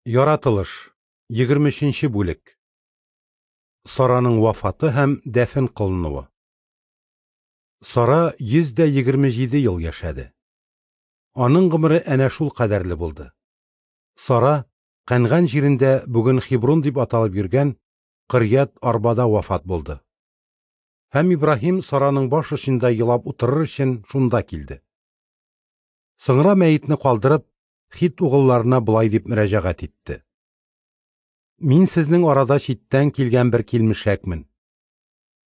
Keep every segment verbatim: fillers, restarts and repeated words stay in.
Яратылыш, егерме өченче бүлек. Сараның вафаты һәм дәфен кылынуы. Сара йөз дә егерме җиде ел яшәде. Аның гомере әнә шул кадәрле булды. Сара Кәнган җирендә бүген Хиброн дип аталып йөргән Кырьят Арбада вафат булды. Һәм Ибраһим Сараның баш очында елап утырыр өчен шунда килде. Соңра мәетне калдырып, Хит угылларына болай дип мөрәҗәгать итте: Мин сезнең арада читтән килгән бер килмешәкмен.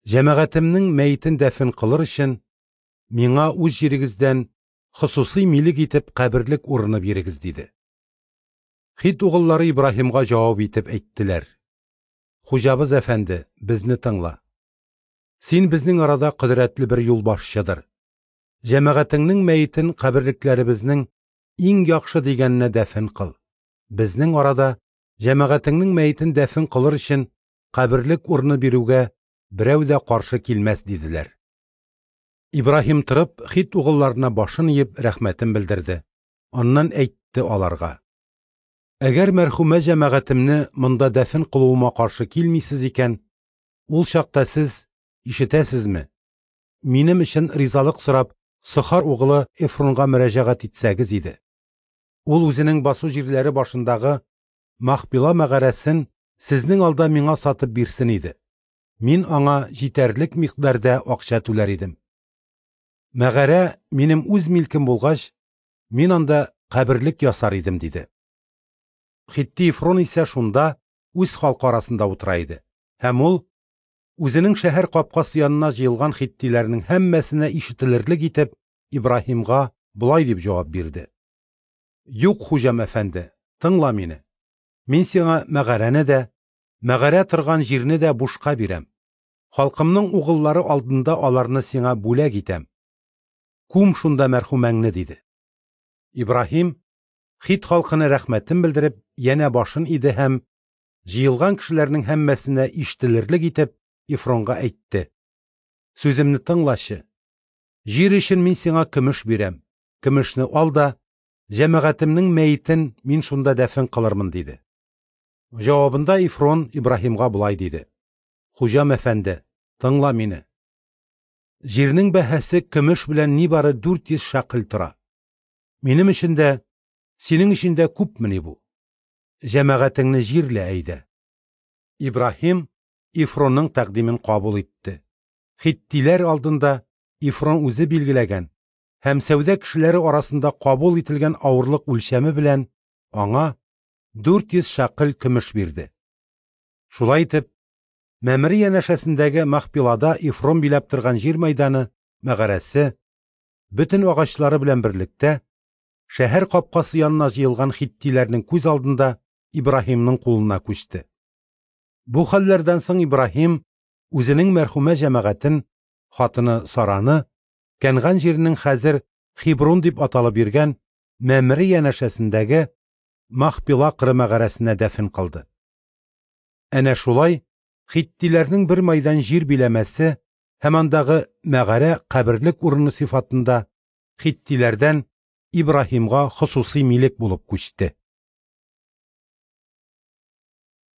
Җәмәгатемнең мәетен дәфен кылыр өчен миңа үз җирегездән хосусый милек итеп каберлек урыны бирегез, диде. Хит угыллары Ибраһимга җавап итеп әйттеләр: Хуҗабыз әфәнде, безне тыңла. Син безнең арада кодрәтле бер юлбашчыдыр. Җәмәгатеңнең мәетен каберлекләребезнең иң яхшы дигәненә дәфен кыл. Безнең арада җәмәгатеңнең мәетен дәфен кылыр өчен каберлек урыны бирүгә берәү дә каршы килмәс, диделәр. Ибраһим торып, Хит угылларына башын иеп рәхмәтен белдерде. Аннан әйтте аларга: Әгәр мәрхүмә җәмәгатемне монда дәфен кылуыма каршы килмисез икән, ул чакта сез ишетәсезме? Минем өчен ризалык сорап, Сохар угылы Эфронга мөрәҗәгать итсәгез иде. Ул үзенең басу җирләре башындагы Махпила мәгарәсен сезнең алда миңа сатып бирсен иде. Мин аңа җитәрлек микъдарда акча түләр идем. Мәгарә минем үз милкем булгач, мин анда каберлек ясар идем, диде. Хитти Эфрон исә шунда үз халкы арасында утыра иде. Һәм ул үзенең шәһәр капкасы янына җыелган хиттиләрнең һәммәсенә ишетелерлек итеп Ибраһимга болай дип җавап бирде: Юк, хуҗам әфәнде, тыңла мине. Мин сиңа мәгарәне дә, мәгарә торган җирне дә бушка бирәм. Халкымның угыллары алдында аларны сиңа бүләк итәм. Күм шунда мәрхүмәңне, диде. Ибраһим Хит халкына рәхмәтен белдереп, янә башын иде һәм җыелган кешеләрнең һәммәсенә ишетелерлек итеп Эфронга әйтте: Сүземне тыңлачы. Җир өчен мин сиңа көмеш бирәм. Көмешне ал да, җәмәгатемнең мәетен мин шунда дәфен кылырмын, диде. Җавабында Эфрон Ибраһимга болай диде: Хуҗам әфәнде, тыңла мине. Җирнең бәһасе көмеш белән нибары дүрт йөз шәкел тора. Минем өчен дә, синең өчен дә күпмени бу? Җәмәгатеңне җирлә әйдә. Ибраһим Эфронның тәкъдимен кабул итте. Хиттиләр алдында Эфрон үзе билгеләгән һәм сәүдә кешеләре арасында кабул ителгән авырлык үлчәме белән аңа дүрт йөз шәкел көмеш бирде. Шулай итеп, Мәмре янәшәсендәге Махпилада Эфрон биләп торган җир мәйданы, мәгарәсе, бөтен агачлары белән берлектә, шәһәр капкасы янына җыелган хиттиләрнең күз алдында Ибраһимның кулына күчте. Бу хәлләрдән соң Ибраһим үзенең мәрхүмә җәмәгатен, хатыны Сараны, Кәнган җиренең хәзер Хиброн дип аталып йөргән Мәмре янәшәсендәге Махпила кыры мәгарәсенә дәфен кылды. Әнә шулай хиттиләрнең бер майдан җир биләмәсе һәм андагы мәгарә каберлек урыны сыйфатында хиттиләрдән Ибраһимга хосусый милек булып күчте.